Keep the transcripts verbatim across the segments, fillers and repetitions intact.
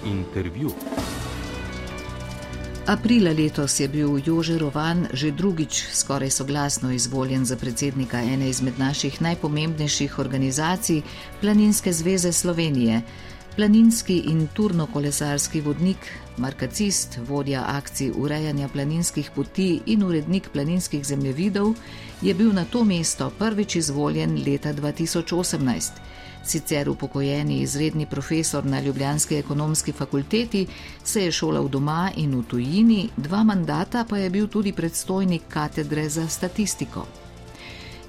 Intervju. Aprila letos je bil Jože Rovan že drugič skoraj soglasno izvoljen za predsednika ene izmed naših najpomembnejših organizacij, Planinske zveze Slovenije. Planinski in turnokolesarski vodnik, markacist, vodja akcij urejanja planinskih poti in urednik planinskih zemljevidov je bil na to mesto prvič izvoljen leta dva tisoč osemnajst. Sicer upokojeni izredni profesor na ljubljanski ekonomski fakulteti se je šolal doma in v tujini, dva mandata pa je bil tudi predstojnik katedre za statistiko.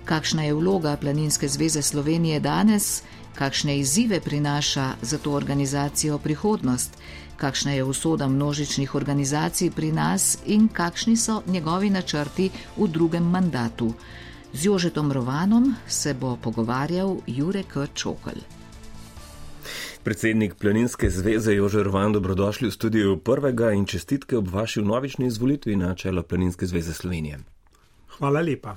Kakšna je vloga Planinske zveze Slovenije danes? Kakšne izzive prinaša za to organizacijo prihodnost? Kakšna je usoda množičnih organizacij pri nas in kakšni so njegovi načrti v drugem mandatu? Z Jožetom Rovanom se bo pogovarjal Jure K. Čokl. Predsednik Planinske zveze Jože Rovan, dobrodošli v studiu Prvega in čestitke ob vaši vnovični izvolitvi na čelo Planinske zveze Slovenije. Hvala lepa.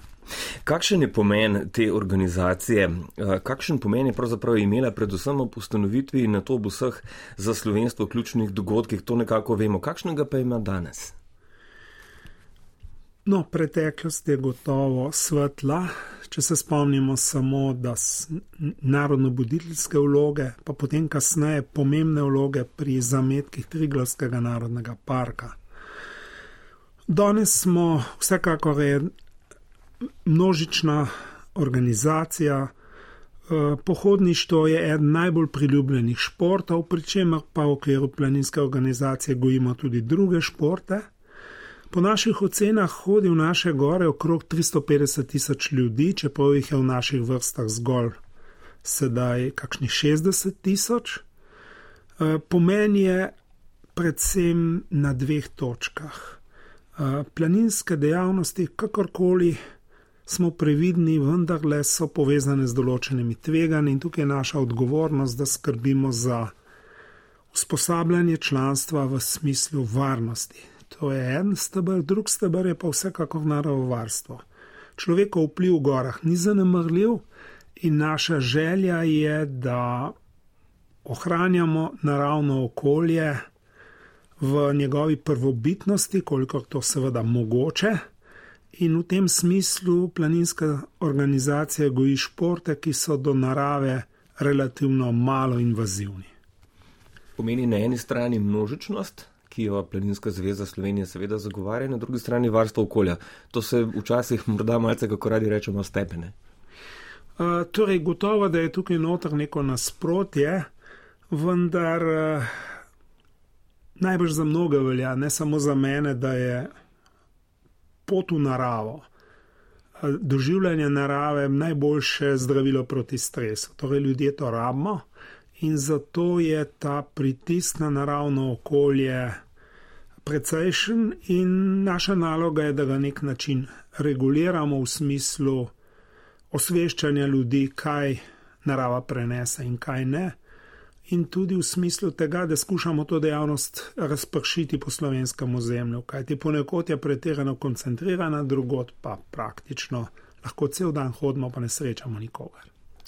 Kakšen je pomen te organizacije? Kakšen pomen je pravzaprav imela predvsem ob ustanovitvi in na to ob vseh za slovenstvo ključnih dogodkih? To nekako vemo. Kakšnega pa ima danes? No, preteklost je gotovo svetla, če se spomnimo samo, da narodno-buditeljske vloge, pa potem kasneje pomembne vloge pri zametkih Triglavskega narodnega parka. Danes smo vsekakor je množična organizacija. Pohodništvo je eden najbolj priljubljenih športov, pri čemer pa v okviru planinske organizacije gojimo tudi druge športe. Po naših ocenah hodi v naše gore okrog tristo petdeset tisoč ljudi, čeprav jih je v naših vrstah zgolj sedaj kakšnih šestdeset tisoč. Pomen je predvsem na dveh točkah. Planinske dejavnosti, kakorkoli smo previdni, vendarle so povezane z določenimi tveganji in tukaj je naša odgovornost, da skrbimo za usposabljanje članstva v smislu varnosti. To je en steber, drug steber je pa vsekakor naravovarstvo. Človekov vpliv v gorah ni zanemrljiv in naša želja je, da ohranjamo naravno okolje v njegovi prvobitnosti, kolikor to seveda mogoče. In v tem smislu planinska organizacija goji športe, ki so do narave relativno malo invazivni. Pomeni na eni strani množičnost, ki jo Planinska zveza Slovenije seveda zagovarja, na drugi strani varstvo okolja. To se včasih morda malce, kako radi rečemo, stepene. Uh, torej, gotovo, da je tukaj noter neko nasprotje, vendar uh, najbrž za mnoge velja, ne samo za mene, da je pot v naravo, doživljanje narave najboljše zdravilo proti stresu. Torej, ljudje to rabimo in zato je ta pritisk na naravno okolje precejšen in naša naloga je, da ga nek način reguliramo v smislu osveščanja ljudi, kaj narava prenese in kaj ne. In tudi v smislu tega, da skušamo to dejavnost razpršiti po slovenskem ozemlju, kajti ponekod je pretirano koncentrirana, drugod pa praktično lahko cel dan hodimo, pa ne srečamo nikogar.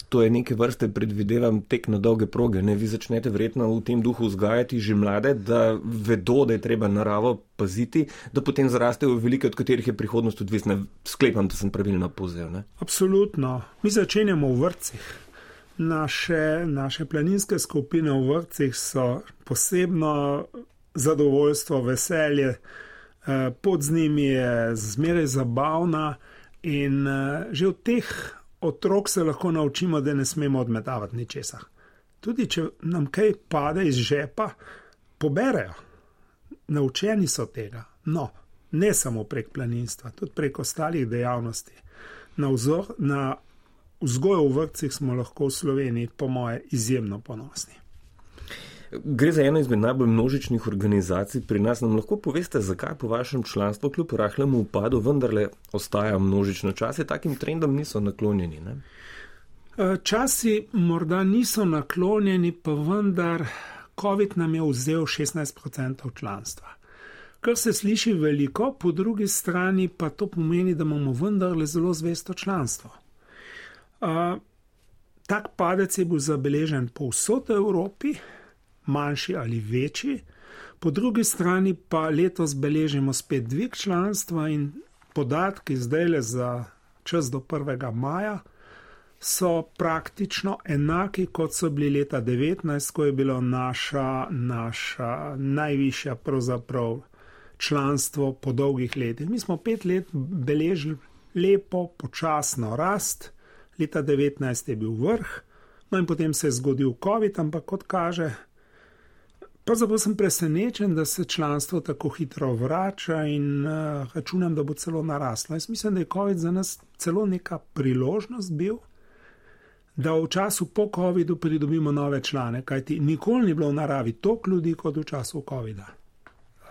To je neke vrste, predvidevam, tek na dolge proge. Ne? Vi začnete verjetno v tem duhu vzgajati že mlade, da vedo, da je treba naravo paziti, da potem zarastejo velike, od katerih je prihodnost odvisna. Sklepam, da sem pravilno povzel. Ne? Absolutno. Mi začenjamo v vrtcih. Naše, naše planinske skupine v vrtcih so posebno zadovoljstvo, veselje, pot z njimi je zmeraj zabavna in že od teh otrok se lahko naučimo, da ne smemo odmetavati ničesar. Tudi če nam kaj pade iz žepa, poberejo. Naučeni so tega. No, ne samo prek planinstva, tudi prek ostalih dejavnosti. Na vzor, na vzgojo v vrtcih smo lahko v Sloveniji, po moje, izjemno ponosni. Gre za eno izmed najbolj množičnih organizacij pri nas. Nam lahko poveste, zakaj po vašem članstvu kljub rahlemu upadu vendarle ostaja množično? Časi takim trendom niso naklonjeni, ne? Časi morda niso naklonjeni, pa vendar COVID nam je vzel šestnajst procentov članstva. Kar se sliši veliko, po drugi strani pa to pomeni, da imamo vendarle zelo zvesto članstvo. Uh, tak padec je bil zabeležen povsod v Evropi, manjši ali večji. Po drugi strani pa letos beležimo spet dvig članstva in podatki zdajle za čas do prvega maja so praktično enaki, kot so bili leta devetnajst, ko je bilo naša, naša najvišja pravzaprav članstvo po dolgih letih. Mi smo pet let beležili lepo, počasno rast, leta devetnajst je bil vrh, no in potem se je zgodil COVID, ampak kot kaže, pravzaprav sem presenečen, da se članstvo tako hitro vrača in uh, računam, da bo celo naraslo. Jaz mislim, da je COVID za nas celo neka priložnost bil, da v času po covidu pridobimo nove člane, kajti nikoli ni bilo v naravi toliko ljudi kot v času covida.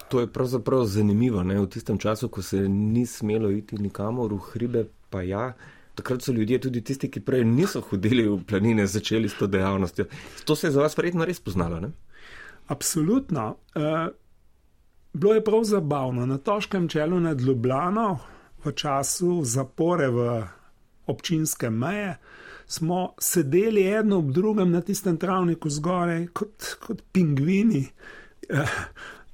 To je pravzaprav zanimivo, ne? V tistem času, ko se ni smelo iti nikamor, v hribe pa ja, takrat so ljudje, tudi tisti, ki prej niso hodili v planine, začeli s to dejavnostjo. To se je za vas verjetno res poznalo, ne? Absolutno. Uh, bilo je prav zabavno. Na Toškem čelu nad Ljubljano v času zapore v občinske meje smo sedeli eno ob drugem na tistem travniku zgoraj kot, kot pingvini, uh,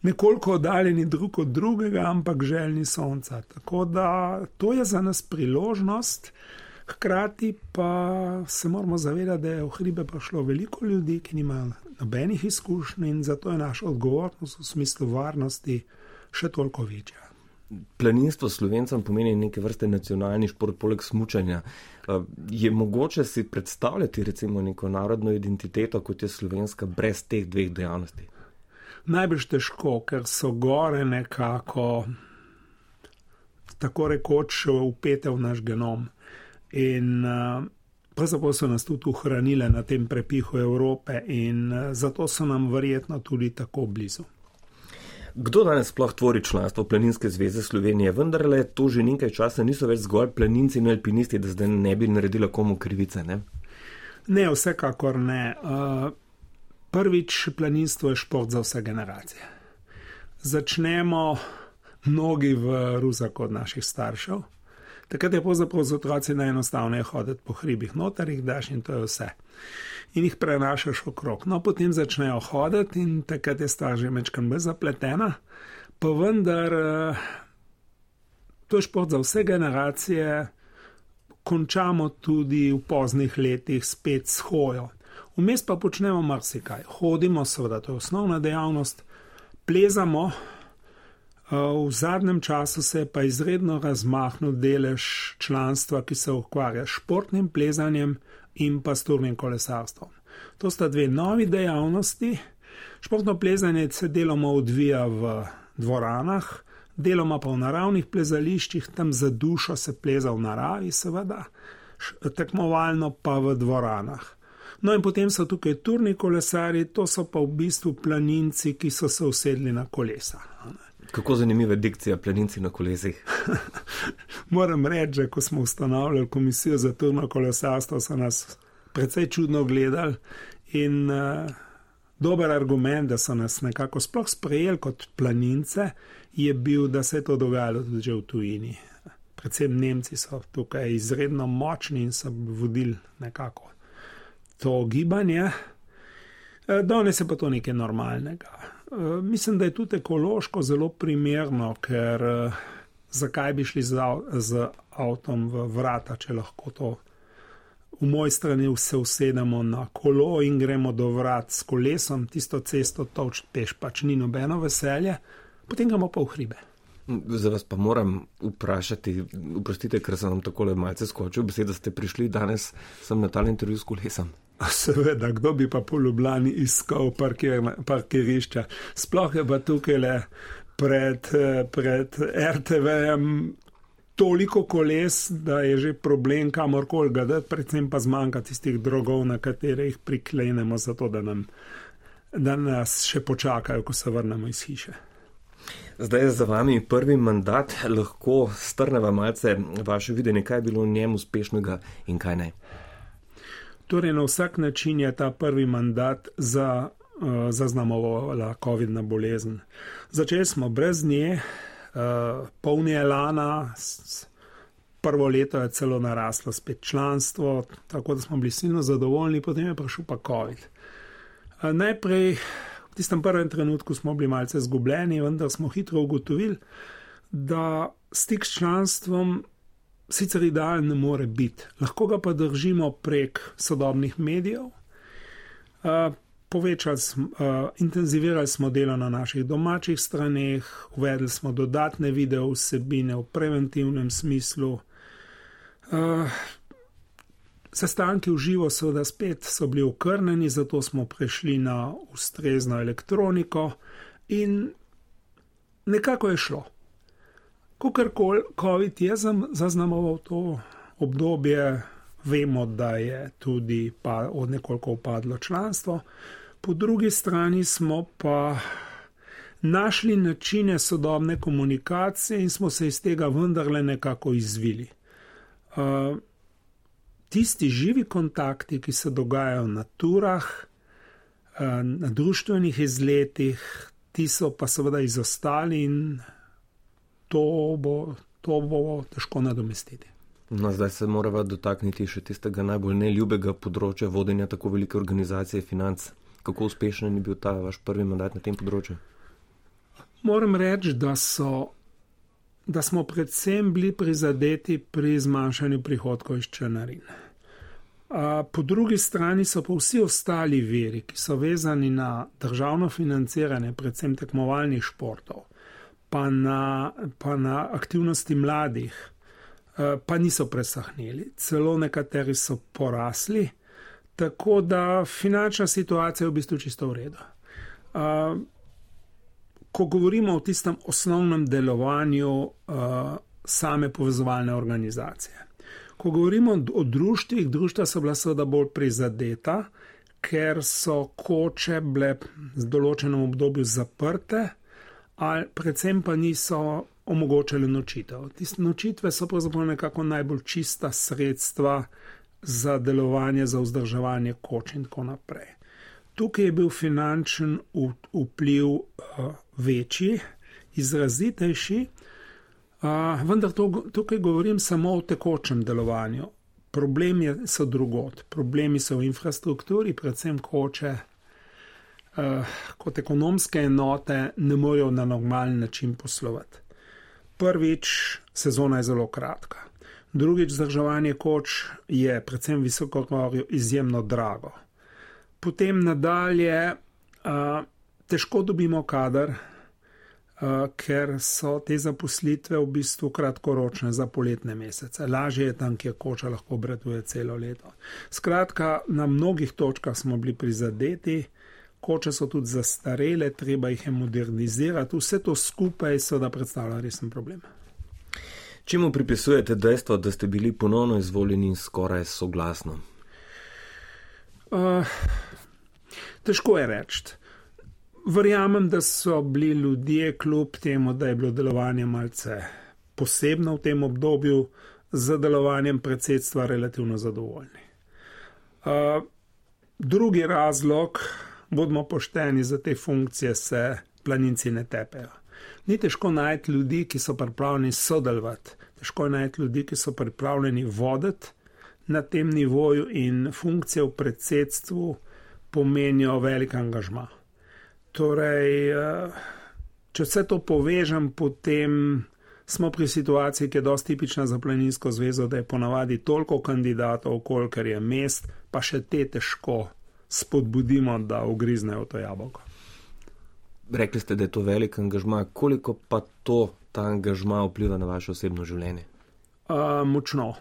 nekoliko oddaljeni drug od drugega, ampak željni sonca. Tako da to je za nas priložnost, hkrati pa se moramo zavedati, da je v hribe prišlo veliko ljudi, ki nimajo nobenih izkušenj in zato je naša odgovornost v smislu varnosti še toliko večja. Planinstvo Slovencem pomeni neke vrste nacionalni šport poleg smučanja. Je mogoče si predstavljati recimo neko narodno identiteto, kot je slovenska, brez teh dveh dejavnosti? Najbrž težko, ker so gore nekako tako rekoč vpete v naš genom. In uh, pravzaprav so nas tudi ohranile na tem prepihu Evrope in uh, zato so nam verjetno tudi tako blizu. Kdo danes sploh tvori članstvo Planinske zveze Slovenije? Vendarle to že nekaj časa niso več zgolj planinci in alpinisti, da zdaj ne bi naredila komu krivice, ne? Ne, vsekakor ne. Uh, prvič, planinstvo je šport za vse generacije. Začnemo mnogi v Ruzaku od naših staršev. Takrat je pravzaprav z otroci najenostavneje hoditi po hribih, noter jih daš in to je vse. In jih prenašaš okrog. No, potem začnejo hoditi in takrat je stvar že mečkan bolj zapletena, pa vendar to je šport za vse generacije, končamo tudi v poznih letih spet s hojo. Vmes pa počnemo marsikaj. Hodimo, seveda, to je osnovna dejavnost, plezamo. V zadnjem času se je pa izredno razmahnil delež članstva, ki se ukvarja s športnim plezanjem in pa s turnim kolesarstvom. To sta dve novi dejavnosti. Športno plezanje se deloma odvija v dvoranah, deloma pa v naravnih plezališčih, tam za dušo se pleza v naravi, seveda, tekmovalno pa v dvoranah. No in potem so tukaj turni kolesari, to so pa v bistvu planinci, ki so se usedli na kolesa. Kako zanimiva dikcija, planinci na kolesih. Moram reči, že ko smo ustanovljali komisijo za turno kolesarstvo, so nas precej čudno gledali in uh, dober argument, da so nas nekako sploh sprejeli kot planince, je bil, da se je to dogajalo tudi že v tujini. Predvsem Nemci so tukaj izredno močni in so vodili nekako to gibanje. Danes je pa to nekaj normalnega. Mislim, da je tudi ekološko zelo primerno, ker zakaj bi šli z, z avtom v vrata, če lahko to v moj strani se usedemo na kolo in gremo do vrat s kolesom, tisto cesto tolč peš pač ni nobeno veselje, potem gremo pa v hribe. Za vas pa moram vprašati, oprostite, ker sem vam takole malce skočil, beseda ste prišli danes sem na tale intervju s kolesom. Seveda, kdo bi pa po Ljubljani iskal parkir, parkirišča. Sploh je pa tukaj le pred, pred er te ve-jem toliko koles, da je že problem kamorkoli ga dati, predvsem pa zmanjka tistih drogov, na katere jih priklenemo, zato da, nam, da nas še počakajo, ko se vrnemo iz hiše. Zdaj je za vami prvi mandat, lahko strneva malce vaše videnje, kaj je bilo v njem uspešnega in kaj ne? Torej, na vsak način je ta prvi mandat za, uh, zaznamovala covidna bolezen. Začeli smo brez nje, uh, polni elana, s, prvo leto je celo naraslo spet članstvo, tako da smo bili silno zadovoljni, potem je prišel pa covid. Uh, najprej V tistem prvem trenutku smo bili malce zgubljeni, vendar smo hitro ugotovili, da stik s članstvom sicer idealen ne more biti. Lahko ga pa držimo prek sodobnih medijev. Uh, povečali smo, uh, intenzivirali smo delo na naših domačih straneh, uvedli smo dodatne video vsebine v preventivnem smislu. Uh, sestanki v živo seveda spet so bili okrnjeni, zato smo prešli na ustrezno elektroniko in nekako je šlo. Kakorkoli COVID je zaznamoval to obdobje, vemo, da je tudi pa od nekoliko upadlo članstvo. Po drugi strani smo pa našli načine sodobne komunikacije in smo se iz tega vendarle nekako izvili. Uh, tisti živi kontakti, ki se dogajajo na turah, uh, na društvenih izletih, ti so pa seveda izostali in to bo, to bo težko nadomestiti. No, zdaj se morava dotakniti še tistega najbolj neljubega področja vodenja tako velike organizacije financ. Kako uspešen je bil ta vaš prvi mandat na tem področju? Moram reči, da, so, da smo predvsem bili prizadeti pri zmanjšanju prihodkov iz članarin. Po drugi strani so pa vsi ostali viri, ki so vezani na državno financiranje, predvsem tekmovalnih športov, pa na, pa na aktivnosti mladih, pa niso presahnili. Celo nekateri so porasli, tako da finančna situacija je v bistvu čisto v redu. Ko govorimo o tistem osnovnem delovanju same povezovalne organizacije. Ko govorimo o društvih, društva so bila seveda bolj prizadeta, ker so koče bile v določenem obdobju zaprte, ali predvsem pa niso omogočali nočitev. Tiste nočitve so pravzaprav nekako najbolj čista sredstva za delovanje, za vzdrževanje koč in tako naprej. Tukaj je bil finančen vpliv uh, večji, izrazitejši, uh, vendar to, tukaj govorim samo o tekočem delovanju. Problemi so drugod. Problemi so v infrastrukturi, predvsem koče, uh, kot ekonomske enote ne morejo na normalen način poslovati. Prvič, sezona je zelo kratka. Drugič, vzdrževanje koč je predvsem v visokogorju izjemno drago. Potem nadalje uh, težko dobimo kader, uh, ker so te zaposlitve v bistvu kratkoročne za poletne mesece. Lažje je tam, kjer koča lahko obratuje celo leto. Skratka, na mnogih točkah smo bili prizadeti, koče so tudi zastarele, treba jih je modernizirati, vse to skupaj seveda predstavlja resen problem. Čemu pripisujete dejstvo, da ste bili ponovno izvoljeni skoraj soglasno? Uh, težko je reči. Verjamem, da so bili ljudje kljub temu, da je bilo delovanje malce posebno v tem obdobju, z delovanjem predsedstva relativno zadovoljni. Uh, drugi razlog, bodimo pošteni, za te funkcije se planinci ne tepejo. Ni težko najti ljudi, ki so pripravljeni sodelovati. Težko je najti ljudi, ki so pripravljeni voditi na tem nivoju in funkcije v predsedstvu pomenijo velik angažma. Torej, če vse to povežem, potem smo pri situaciji, ki je dosti tipična za Planinsko zvezo, da je ponavadi toliko kandidatov, kolikor je mest, pa še te težko spodbudimo, da ugriznejo to jabolko. Rekli ste, da je to velik angažma. Koliko pa to, ta angažma vpliva na vaše osebno življenje? Uh, močno.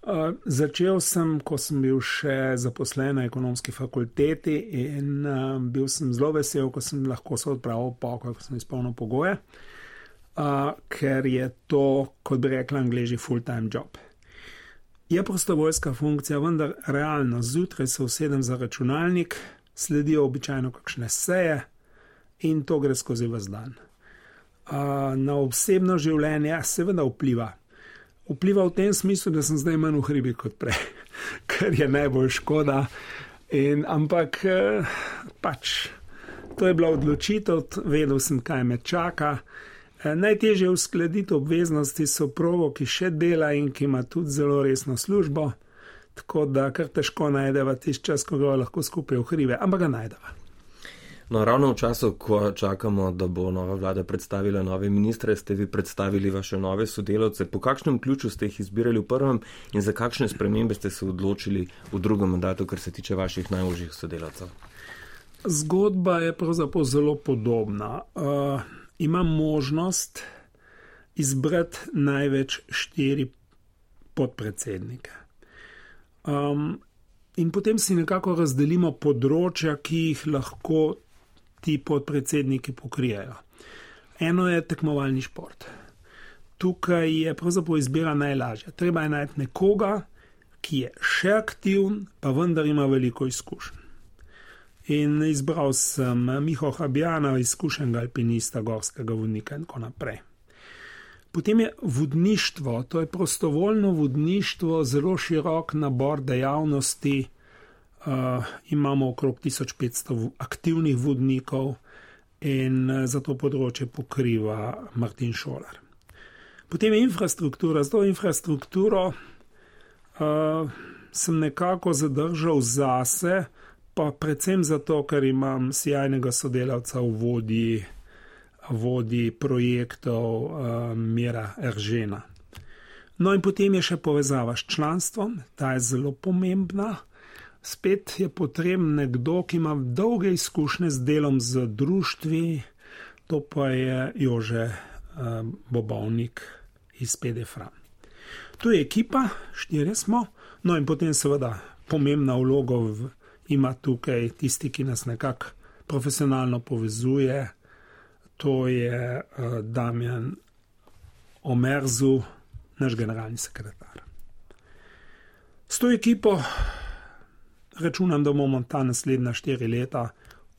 Uh, začel sem, ko sem bil še zaposlen na ekonomski fakulteti in uh, bil sem zelo vesel, ko sem lahko se odpravil v pokoj, ko sem izpolnil pogoje, uh, ker je to, kot bi rekla Angleži, full-time job. Je prostovoljska funkcija, vendar realno zjutraj se usedem za računalnik, sledijo običajno kakšne seje, in to gre skozi ves dan. Uh, na osebno življenje seveda vpliva. Vpliva v tem smislu, da sem zdaj manj v hribi kot prej, kar je najbolj škoda. In, ampak uh, pač to je bila odločitev, vedel sem, kaj me čaka. Uh, najtežje uskladiti obveznosti so provo, ki še dela in ki ima tudi zelo resno službo, tako da kar težko najdeva tisti čas, ko ga lahko skupaj v hribe, ampak ga najdeva. No, ravno v času, ko čakamo, da bo nova vlada predstavila nove ministre, ste vi predstavili vaše nove sodelavce. Po kakšnem ključu ste jih izbirali v prvem in za kakšne spremembe ste se odločili v drugem mandatu, kar se tiče vaših najožjih sodelavcev? Zgodba je pravzaprav zelo podobna. Uh, imam možnost izbrati največ štiri podpredsednike. Um, in potem si nekako razdelimo področja, ki jih lahko ti podpredsedniki pokrijajo. Eno je tekmovalni šport. Tukaj je pravzaprav izbira najlažja. Treba je najti nekoga, ki je še aktivn, pa vendar ima veliko izkušenj. In izbral sem Miho Habjana, izkušenega alpinista, gorskega vodnika in tako naprej. Potem je vodništvo, to je prostovoljno vodništvo, zelo širok nabor dejavnosti. Uh, imamo okrog tisoč petsto aktivnih vodnikov in za to področje pokriva Martin Šolar. Potem je infrastruktura. Z to infrastrukturo uh, sem nekako zadržal zase, pa predvsem zato, ker imam sjajnega sodelavca v vodji, vodji projektov uh, Mira Eržena. No in potem je še povezava s članstvom, ta je zelo pomembna. Spet je potreben nekdo, ki ima dolge izkušnje z delom z društvi, to pa je Jože uh, Bobovnik iz P D Fran. Tu je ekipa, štirje smo, no in potem seveda pomembna vloga v, ima tukaj tisti, ki nas nekako profesionalno povezuje, to je uh, Damjan Omerzu, naš generalni sekretar. S to ekipo računam, da bomo ta naslednja štiri leta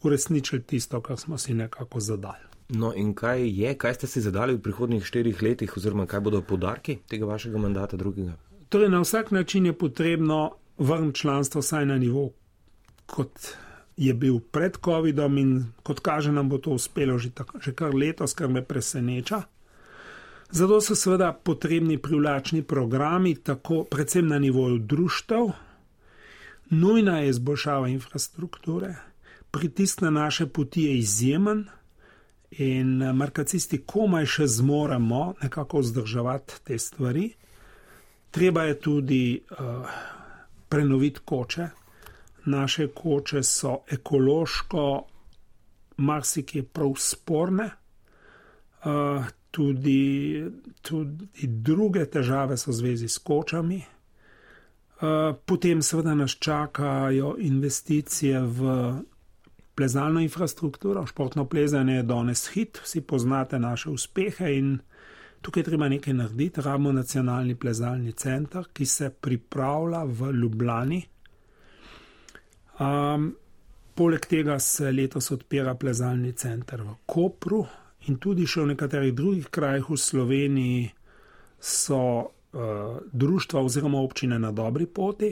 uresničili tisto, kar smo si nekako zadali. No in kaj je, kaj ste si zadali v prihodnjih štirih letih oziroma kaj bodo poudarki tega vašega mandata drugega? Torej, na vsak način je potrebno vrniti članstvo vsaj na nivo, kot je bil pred covidom in kot kaže nam bo to uspelo že, tako, že kar letos, kar me preseneča. Zato so seveda potrebni privlačni programi, tako predvsem na nivoju društev. Nujna je izboljšava infrastrukture, pritisk na naše poti je izjemen in markacisti komaj še zmoremo nekako vzdrževati te stvari. Treba je tudi uh, prenoviti koče. Naše koče so ekološko marsikje prav sporne, uh, tudi, tudi druge težave so v zvezi s kočami. Potem seveda nas čakajo investicije v plezalno infrastrukturo. Športno plezanje je danes hit, vsi poznate naše uspehe in tukaj treba nekaj narediti. Rabimo nacionalni plezalni center, ki se pripravlja v Ljubljani. Um, poleg tega se letos odpira plezalni center v Kopru in tudi še v nekaterih drugih krajih v Sloveniji so društva oziroma občine na dobri poti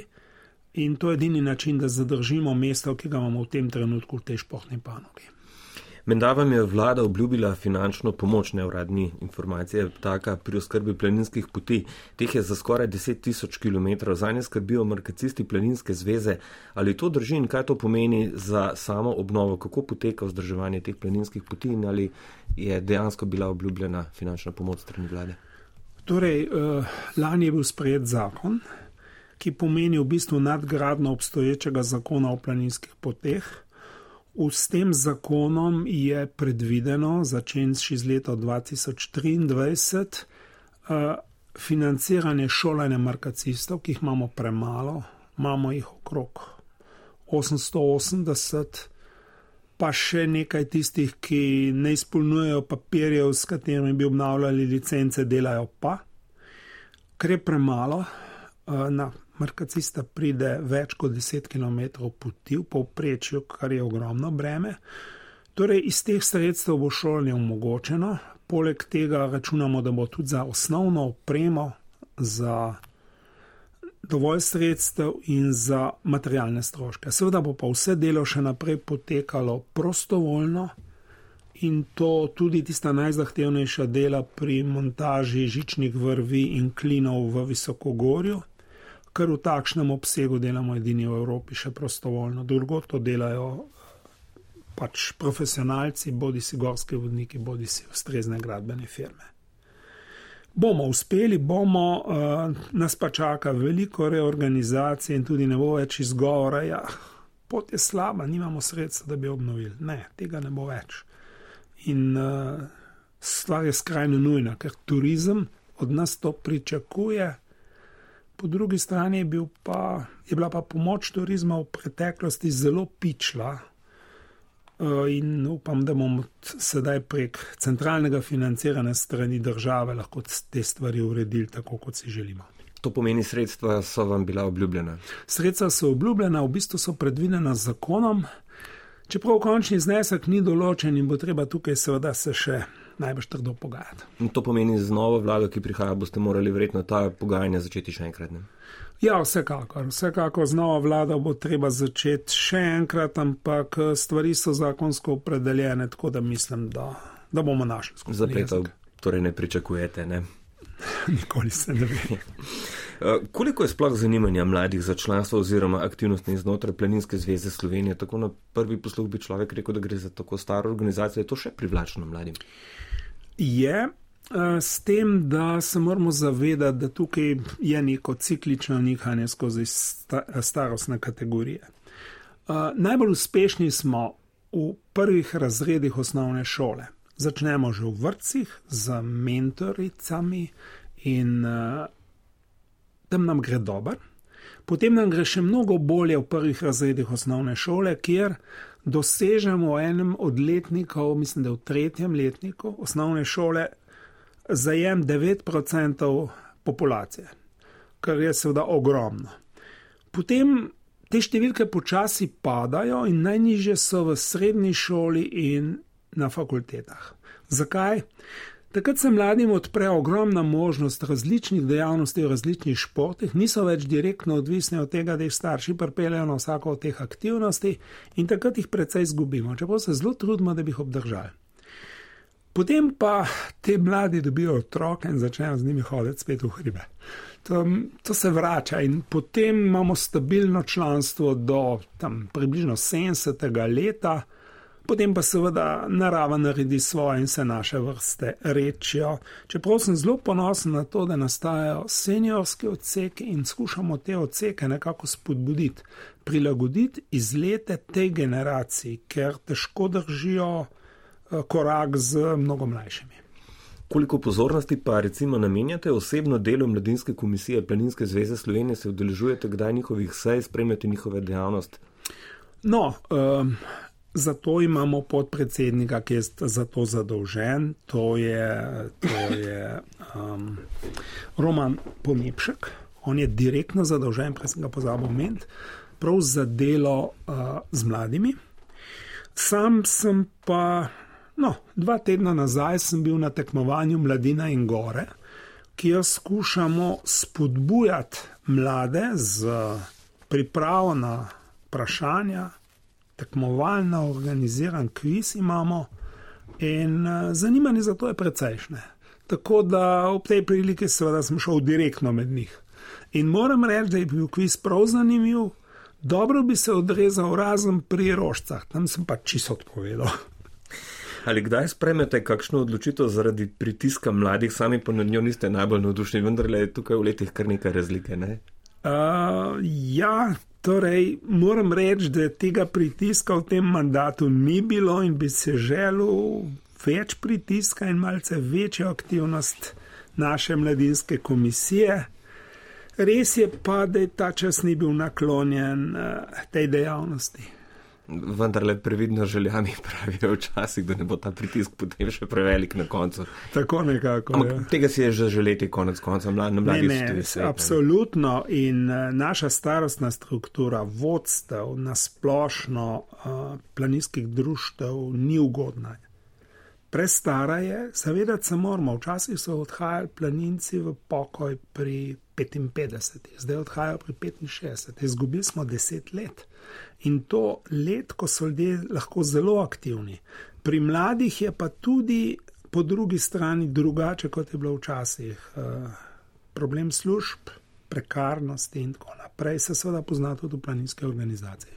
in to je edini način, da zadržimo mesto, ki ga imamo v tem trenutku v tej športni panogi. Menda vam je vlada obljubila finančno pomoč, neuradni informacije, taka pri oskrbi planinskih poti. Teh je za skoraj deset tisoč kilometrov, zanje skrbijo markacisti Planinske zveze. Ali to drži in kaj to pomeni za samo obnovo? Kako poteka vzdrževanje teh planinskih poti in ali je dejansko bila obljubljena finančna pomoč strani vlade? Torej, eh, lani je bil sprejet zakon, ki pomeni v bistvu nadgradnjo obstoječega zakona o planinskih poteh. S tem zakonom je predvideno, začenši z leta dva tisoč triindvajset, eh, financiranje šolanja markacistov, ki jih imamo premalo, imamo jih okrog osemsto osemdeset, pa še nekaj tistih, ki ne izpolnjujejo papirjev, s katerimi bi obnavljali licence, delajo pa. Ker je premalo, na markacista pride več kot deset kilometrov poti v povprečju, kar je ogromno breme. Torej, iz teh sredstev bo šolanje omogočeno. Poleg tega računamo, da bo tudi za osnovno opremo, za dovolj sredstev in za materialne stroške. Seveda bo pa vse delo še naprej potekalo prostovoljno in to tudi tista najzahtevnejša dela pri montaži žičnih vrvi in klinov v Visokogorju, ker v takšnem obsegu delamo edini v Evropi še prostovoljno. Drugo to delajo pač profesionalci, bodi si gorski vodniki, bodi si ustrezne gradbene firme. Bomo uspeli, bomo, uh, nas pa čaka veliko reorganizacije in tudi ne bo več izgovora, ja, pot je slaba, nimamo sredstva, da bi obnovili. Ne, tega ne bo več. In uh, stvar je skrajno nujna, ker turizem od nas to pričakuje. Po drugi strani je, bil pa, je bila pa pomoč turizma v preteklosti zelo pičla uh, in upam, da bomo sedaj prek centralnega financiranja strani države lahko te stvari uredili tako, kot si želimo. To pomeni, sredstva so vam bila obljubljena? Sredstva so obljubljena, v bistvu so predvidena z zakonom, čeprav končni znesek ni določen in bo treba tukaj seveda se še najbolj trdo pogajati. In to pomeni, z novo vlado, ki prihaja, boste morali verjetno ta pogajanja začeti še enkrat, ne? Ja, vsekakor. Vsekakor z novo vlado bo treba začeti še enkrat, ampak stvari so zakonsko opredeljene, tako da mislim, da, da bomo našli skupaj. Zapletov torej ne pričakujete, ne? Nikoli se ne ve. Koliko je sploh zanimanja mladih za članstvo oziroma aktivnosti znotraj Planinske zveze Slovenije? Tako na prvi posluh bi človek rekel, da gre za tako staro organizacijo. Je to še privlačno mladim? Je, s tem, da se moramo zavedati, da tukaj je neko ciklično nihanje skozi starostne kategorije. Najbolj uspešni smo v prvih razredih osnovne šole. Začnemo že v vrtcih z mentoricami in uh, tam nam gre dobro. Potem nam gre še mnogo bolje v prvih razredih osnovne šole, kjer dosežemo v enem od letnikov, mislim, da v tretjem letniku osnovne šole, zajem devet procentov populacije, kar je seveda ogromno. Potem te številke počasi padajo in najnižje so v srednji šoli in na fakultetah. Zakaj? Takrat se mladim odpre ogromna možnost različnih dejavnosti v različnih športih, niso več direktno odvisni od tega, da jih starši pripeljejo na vsako od teh aktivnosti in takrat jih precej izgubimo, čeprav se zelo trudimo, da bi jih obdržali. Potem pa te mladi dobijo otroke in začnejo z njimi hoditi spet v hribe. To, to se vrača in potem imamo stabilno članstvo do tam približno sedemdesetega leta, potem pa seveda narava naredi svoje in se naše vrste rečijo. Čeprav sem zelo ponosen na to, da nastajajo seniorski odseki in skušamo te odseke nekako spodbuditi, prilagoditi izlete tej generaciji, ker težko držijo korak z mnogo mlajšimi. Koliko pozornosti pa recimo namenjate osebno delu Mladinske komisije Planinske zveze Slovenije, se udeležujete kdaj njihovih sej, spremljate njihove dejavnosti? No, um, zato imamo podpredsednika, ki je za to zadolžen, to je, to je um, Roman Pomepšek. On je direktno zadolžen, prej sem ga pozabil omeniti, prav za delo uh, z mladimi. Sam sem pa, no, dva tedna nazaj sem bil na tekmovanju Mladina in gore, kjer skušamo spodbujati mlade z pripravo na vprašanja, tekmovalno organiziran kviz imamo in zanimanje za to je precejšnje. Tako da ob tej priliki seveda sem šel direktno med njih. In moram reči, da je bil kviz prav zanimiv, dobro bi se odrezal razen pri rožcah, tam sem pa čisto odpovedal. Ali kdaj spremete kakšno odločitev zaradi pritiska mladih, sami pa nad njo niste najbolj navdušeni, vendar je tukaj v letih kar nekaj razlike, ne? Uh, ja, torej moram reči, da tega pritiska v tem mandatu ni bilo in bi se želel več pritiska in malce večjo aktivnost naše mladinske komisije. Res je pa, da je ta čas ni bil naklonjen uh, tej dejavnosti. Vendar le previdno željami pravijo včasih, da ne bo ta pritisk potem še prevelik na koncu. Tako nekako, Ampak ja. Tega si je že želeti konec konca. Mlad, na mladih ne, ne, svet, absolutno. In uh, naša starostna struktura vodstev na splošno uh, planinskih društev ni ugodna. Prestara je, zavedati se moramo, včasih so odhajali planinci v pokoj pri petinpetdesetih, zdaj odhajajo pri petinšestdesetih, izgubili smo deset let. In to let, ko so ljudje lahko zelo aktivni. Pri mladih je pa tudi po drugi strani drugače, kot je bilo včasih. Problem služb, prekarnosti in tako naprej se seveda pozna tudi v planinske organizacije.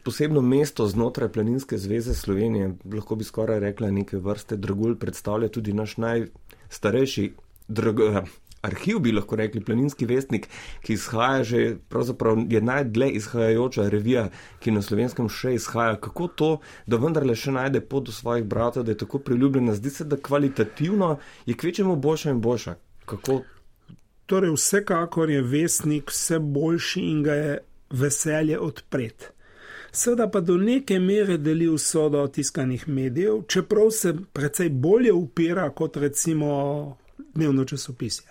posebno mesto znotraj Planinske zveze Slovenije, lahko bi skoraj rekla neke vrste Dragulj, predstavlja tudi naš najstarejši drag, arhiv, bi lahko rekli, Planinski vestnik, ki izhaja že, pravzaprav je najdlje izhajajoča revija, ki na Slovenskem še izhaja. Kako to, da vendarle še najde pot do svojih bratov, da je tako priljubljena? Zdi se, da kvalitativno je kvečemu boljša in boljša. Kako? Torej, vsekakor je vestnik vse boljši in ga je veselje odpret. Seveda pa do neke mere deli usodo tiskanih medijev, čeprav se precej bolje upira kot recimo dnevno časopisje.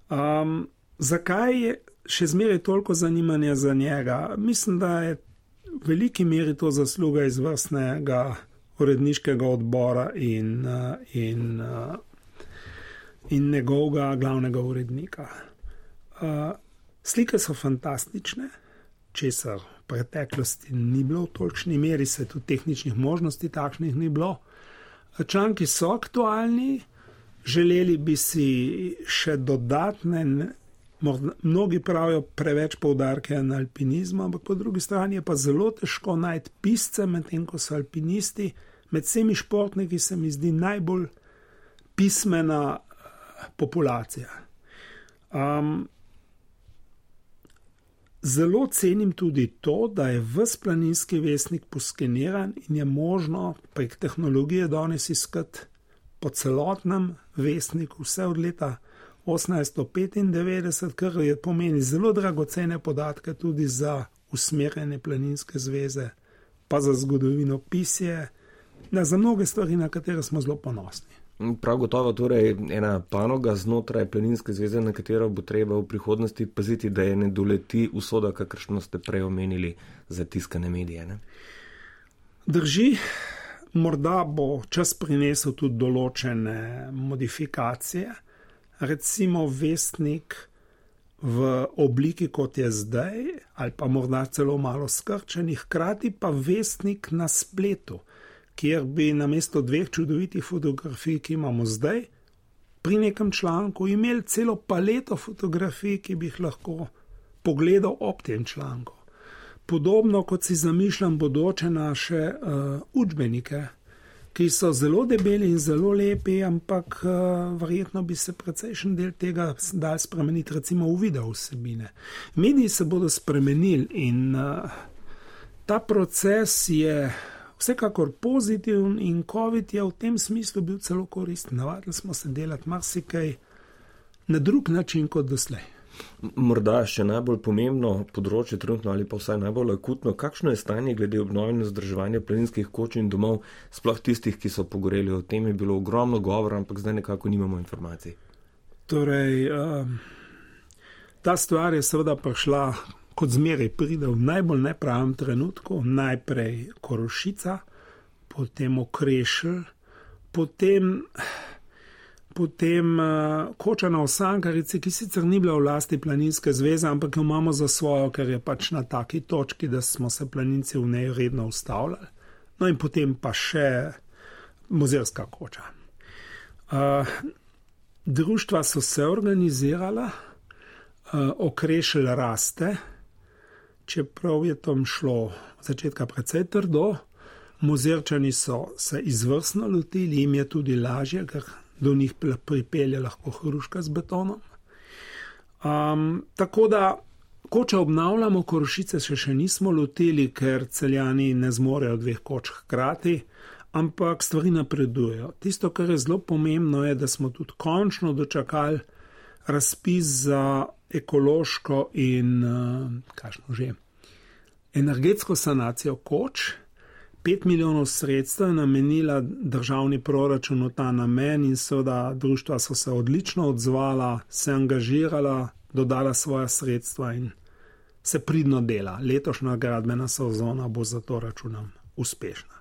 Um, zakaj je še zmeraj toliko zanimanja za njega? Mislim, da je v veliki meri to zasluga izvrstnega uredniškega odbora in, in, in njegovega glavnega urednika. Uh, slike so fantastične, česar v preteklosti ni bilo v tolikšni meri, se tudi tehničnih možnosti takšnih ni bilo. Članki so aktualni, želeli bi si še dodatne, mnogi pravijo preveč poudarke na alpinizmu, ampak po drugi strani je pa zelo težko najti pisce, medtem ko so alpinisti med vsemi športniki se mi zdi najbolj pismena populacija. Um, Zelo cenim tudi to, da je ves Planinski vestnik poskeniran in je možno prek tehnologije danes iskati po celotnem vestniku vse od leta osemnajststo petindevetdeset, kar je pomeni zelo dragocene podatke tudi za usmerjene Planinske zveze, pa za zgodovinopisje, da za mnoge stvari, na katere smo zelo ponosni. Prav gotovo torej ena panoga znotraj Planinske zveze, na katero bo treba v prihodnosti paziti, da je ne doleti usoda, kakršno ste prej omenili za tiskane medije. Ne? Drži, morda bo čas prinesel tudi določene modifikacije, recimo vestnik v obliki, kot je zdaj, ali pa morda celo malo skrčenih, hkrati pa vestnik na spletu, kjer bi namesto dveh čudovitih fotografij, ki imamo zdaj, pri nekem članku imeli celo paleto fotografij, ki bi jih lahko pogledal ob tem članku. Podobno kot si zamišljam bodoče naše uh, učbenike, ki so zelo debeli in zelo lepi, ampak uh, verjetno bi se precejšen del tega dal spremeniti, recimo v video vsebine. Mediji se bodo spremenili in uh, ta proces je vsekakor pozitiven in COVID je v tem smislu bil celo koristen. Navadili smo se delati marsikaj na drug način kot doslej. Morda še najbolj pomembno področje trenutno ali pa vsaj najbolj akutno, kakšno je stanje glede obnove in vzdrževanja planinskih koč in domov, sploh tistih, ki so pogoreli? O tem je bilo ogromno govora, ampak zdaj nekako nimamo informacij. Torej, um, ta stvar je seveda prišla, kot zmeraj pride v najbolj nepravem trenutku, najprej Korošica, potem Okrešelj, potem, potem uh, Koča na Osankarici, ki sicer ni bila v lasti Planinske zveze, ampak jo imamo za svojo, ker je pač na taki točki, da smo se planinci v njej redno ustavljali. No in potem pa še Mozirska koča. Uh, društva so se organizirala, uh, Okrešelj raste, čeprav je tam šlo v začetka precej trdo, Mozirčani so se izvrstno lotili, jim je tudi lažje, ker do njih pripelje lahko hruška z betonom. Um, tako da koče obnavljamo, Korošice še še nismo lotili, ker Celjani ne zmorejo dveh koč hkrati, ampak stvari napredujejo. Tisto, kar je zelo pomembno, je, da smo tudi končno dočakali razpis za ekološko in uh, kakšno že, energetsko sanacijo koč. Pet milijonov sredstev je namenila državni proračun v ta namen in seveda društva so se odlično odzvala, se angažirala, dodala svoja sredstva in se pridno dela. Letošnja gradbena sezona bo zato računam uspešna.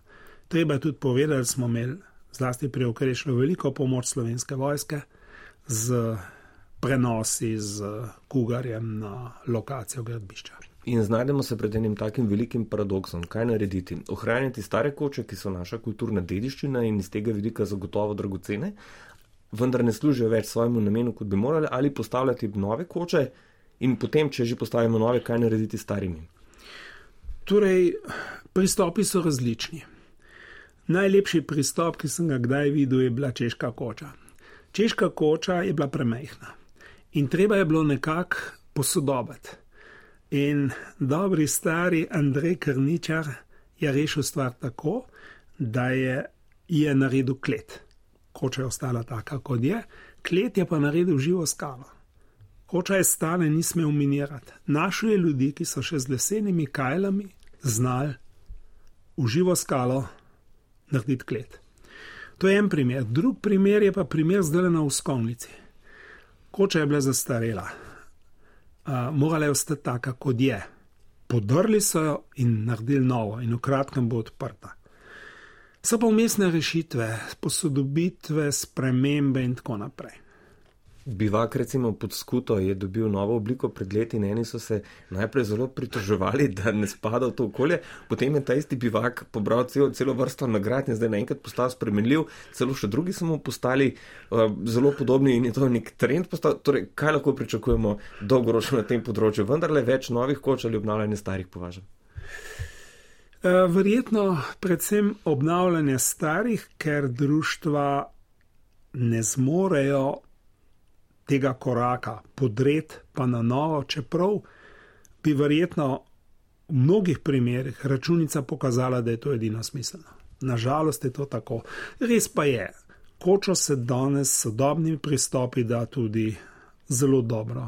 Treba je tudi povedati, da smo imeli zlasti pri Okrešlju veliko pomoč Slovenske vojske z prenosi z kugarjem na lokacijo gradbišča. In znajdemo se pred enim takim velikim paradoksom. Kaj narediti? Ohranjati stare koče, ki so naša kulturna dediščina in iz tega vidika zagotovo dragocene, vendar ne služijo več svojemu namenu, kot bi morali, ali postavljati nove koče in potem, če že postavimo nove, kaj narediti s starimi? Torej, pristopi so različni. Najlepši pristop, ki sem ga kdaj videl, je bila češka koča. Češka koča je bila premajhna in treba je bilo nekako posodobiti. In dobri stari Andrej Krničar je rešil stvar tako, da je, je naredil klet. Koča je ostala taka, kot je, klet je pa naredil živo skalo. Koča je stala in ni smel minirati. Našel je ljudi, ki so še z lesenimi kajlami znali v živo skalo narediti klet. To je en primer. Drug primer je pa primer zdaj na Uskovnici. Koča je bila zastarela. Uh, morala je ostati taka, kot je. Podrli so jo in naredili novo in v kratkem bo odprta. So pa vmesne rešitve, posodobitve, spremembe in tako naprej. Bivak recimo pod Skuto je dobil novo obliko pred leti in eni so se najprej zelo pritoževali, da ne spada v to okolje, potem je ta isti bivak pobral celo, celo vrsto nagrad in zdaj naenkrat postal spremenljiv, celo še drugi so mu postali uh, zelo podobni in je to nek trend postal. Torej, kaj lahko pričakujemo dolgoročno na tem področju? Vendarle več novih koč ali obnavljanje starih považam? Uh, verjetno predvsem obnavljanje starih, ker društva ne zmorejo tega koraka podret pa na novo, čeprav bi verjetno v mnogih primerih računica pokazala, da je to edino smiselno. Nažalost je to tako. Res pa je, kočo se danes s sodobnimi pristopi da tudi zelo dobro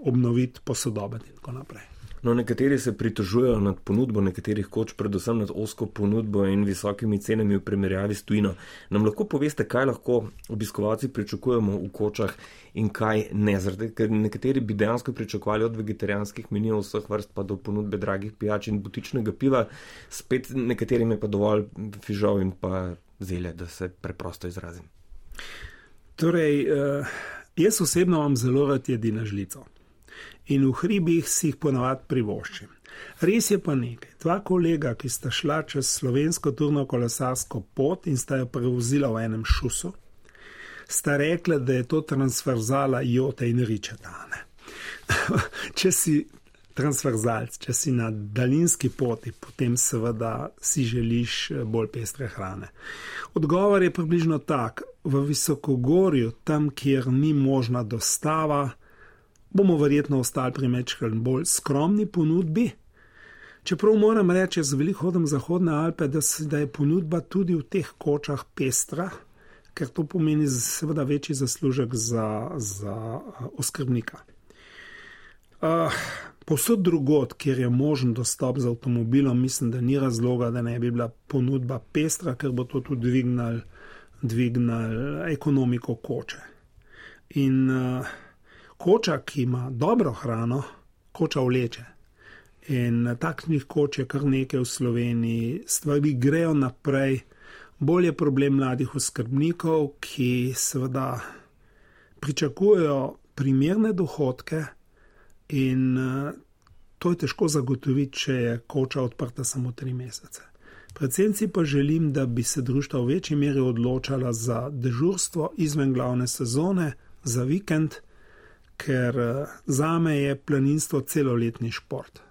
obnoviti, posodobiti in tako naprej. No, nekateri se pritožujejo nad ponudbo nekaterih koč, predvsem nad ozko ponudbo in visokimi cenami v primerjavi s tujino. Nam lahko poveste, kaj lahko obiskovalci pričakujemo v kočah in kaj ne? Zaradi, ker nekateri bi dejansko pričakovali od vegetarijanskih menijev vseh vrst pa do ponudbe dragih pijač in butičnega piva, spet nekaterim je pa dovolj fižol in pa zelje, da se preprosto izrazim. Torej, jaz osebno vam zelo rad jedi na žlico. In v hribih si jih ponavadi privoščim. Res je pa nekaj. Dva kolega, ki sta šla čez slovensko turno kolesarsko pot in sta jo prevozila v enem šusu, sta rekla, da je to transverzala jote in ričeta. Če si transverzalc, če si na daljinski poti, potem seveda si želiš bolj pestre hrane. Odgovor je približno tak. V Visokogorju, tam, kjer ni možna dostava, bomo verjetno ostali pri mečkrat bolj skromni ponudbi. Čeprav moram reči, z veliko hodom Zahodne Alpe, da, se, da je ponudba tudi v teh kočah pestra, ker to pomeni seveda večji zaslužek za, za oskrbnika. Uh, povsod drugod, kjer je možen dostop z avtomobilom, mislim, da ni razloga, da ne bi bila ponudba pestra, ker bo to tudi dvignal, dvignal ekonomiko koče. In uh, koča, ki ima dobro hrano, koča vleče. In takšnih koč je kar nekaj v Sloveniji, stvari grejo naprej. Bolj je problem mladih oskrbnikov, ki seveda pričakujejo primerne dohodke in to je težko zagotoviti, če je koča odprta samo tri mesece. Predvsem si pa želim, da bi se društva v večji meri odločala za dežurstvo izven glavne sezone, za vikend, ker zame je planinstvo celoletni šport.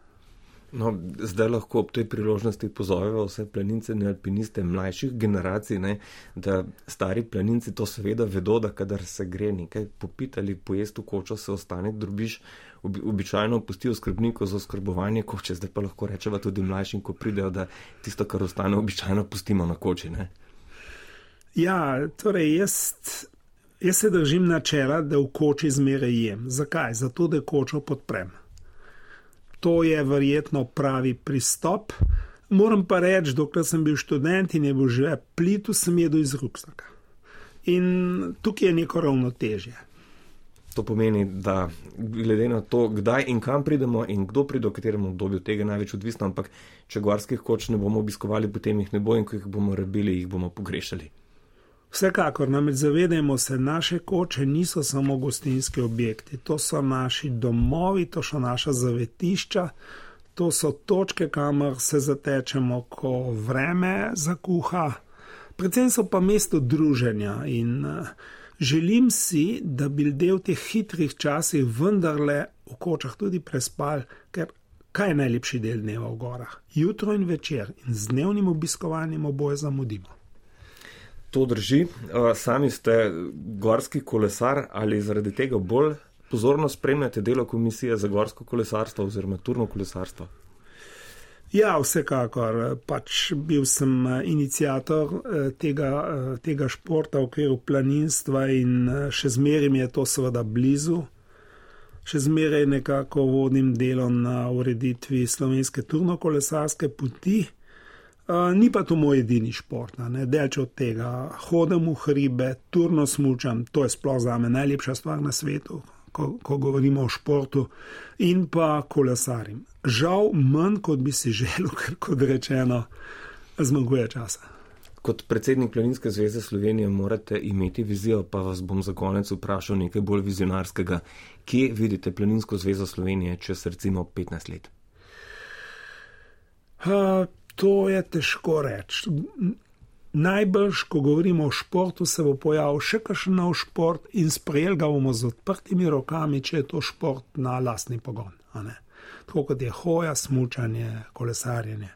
No, zdaj lahko ob tej priložnosti pozoveva vse planince in alpiniste mlajših generacij, ne, da stari planinci to seveda vedo, da kadar se gre nekaj popiti ali pojesti v kočo, se ostane drobiž, obi, običajno pustijo skrbnikov za oskrbovanje koče, zdaj pa lahko rečeva tudi mlajšim, ko pridejo, da tisto, kar ostane, običajno pustimo na koči. Ne? Ja, torej jaz... Jaz se držim načela, da v koči zmeraj jem. Zakaj? Zato, da kočo podprem. To je verjetno pravi pristop. Moram pa reči, dokler sem bil študent in je bil že plitu, sem jedel iz ruksaka. In tukaj je neko ravnotežje. To pomeni, da glede na to, kdaj in kam pridemo in kdo pride v katerem obdobju, tega je največ odvisno, ampak če gorskih koč ne bomo obiskovali, potem jih ne bo in ko jih bomo rabili, jih bomo pogrešali. Vsekakor, namreč zavedajmo se, naše koče niso samo gostinski objekti, to so naši domovi, to so naša zavetišča, to so točke, kamor se zatečemo, ko vreme zakuha, predvsem so pa mesto druženja in želim si, da bi ljudje v teh hitrih časih vendarle v kočah tudi prespali, ker kaj je najlepši del dneva v gorah? Jutro in večer in z dnevnim obiskovanjem oboje zamudimo. To drži. Sami ste gorski kolesar ali zaradi tega bolj pozorno spremljate delo Komisije za gorsko kolesarstvo oziroma turno kolesarstvo? Ja, vsekakor. Pač bil sem iniciator tega, tega športa v okviru planinstva in še zmeraj mi je to seveda blizu. Še zmeraj nekako vodim delo na ureditvi slovenske turno-kolesarske poti. Uh, ni pa to moj edini šport, ne, delč od tega. Hodim v hribe, turno smučam, to je sploh zame najlepša stvar na svetu, ko, ko govorimo o športu, in pa kolesarim. Žal manj, kot bi si želel, ker kot rečeno, zmanjkuje časa. Kot predsednik Planinske zveze Slovenije morate imeti vizijo, pa vas bom za konec vprašal nekaj bolj vizionarskega. Kje vidite Planinsko zvezo Slovenije čez recimo petnajst let? Uh, To je težko reči. Najbrž, ko govorimo o športu, se bo pojavil še kakšen nov šport in sprejel ga bomo z odprtimi rokami, če je to šport na lastni pogon. A ne? Tako kot je hoja, smučanje, kolesarjenje.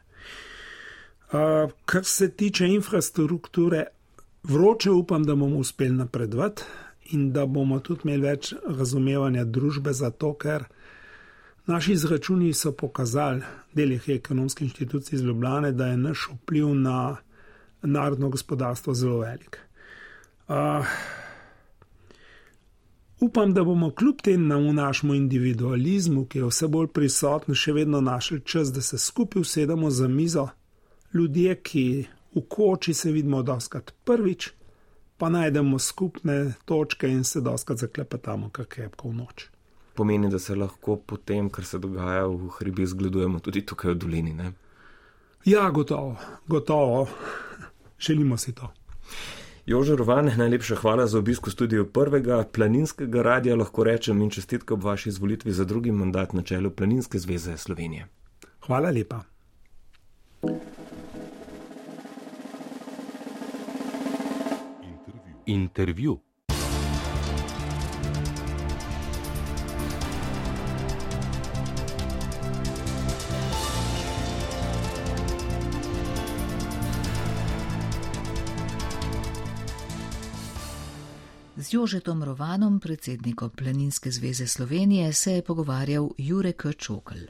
Uh, kar se tiče infrastrukture, vroče upam, da bomo uspeli napredovati in da bomo tudi imeli več razumevanja družbe za to, ker naši izračuni so pokazali, delih ekonomskih inštitucij iz Ljubljane, da je naš vpliv na narodno gospodarstvo zelo velik. Uh, upam, da bomo kljub temu našemu individualizmu, ki je vse bolj prisoten, še vedno našli čas, da se skupaj usedemo za mizo, ljudje, ki v koči se vidimo dostakrat prvič, pa najdemo skupne točke in se dostakrat zaklepetamo kar krepko v noč. Pomeni, da se lahko potem, kar se dogaja v hribih, zgledujemo tudi tukaj v dolini, ne? Ja, gotovo, gotovo. Želimo si to. Jože Rovan, najlepša hvala za obisk v studiu prvega Planinskega radia, lahko rečem, in čestitke ob vaši izvolitvi za drugi mandat na čelu Planinske zveze Slovenije. Hvala lepa. Intervju. Intervju. Z Jožetom Rovanom, predsednikom Planinske zveze Slovenije, se je pogovarjal Jure K. Čokl.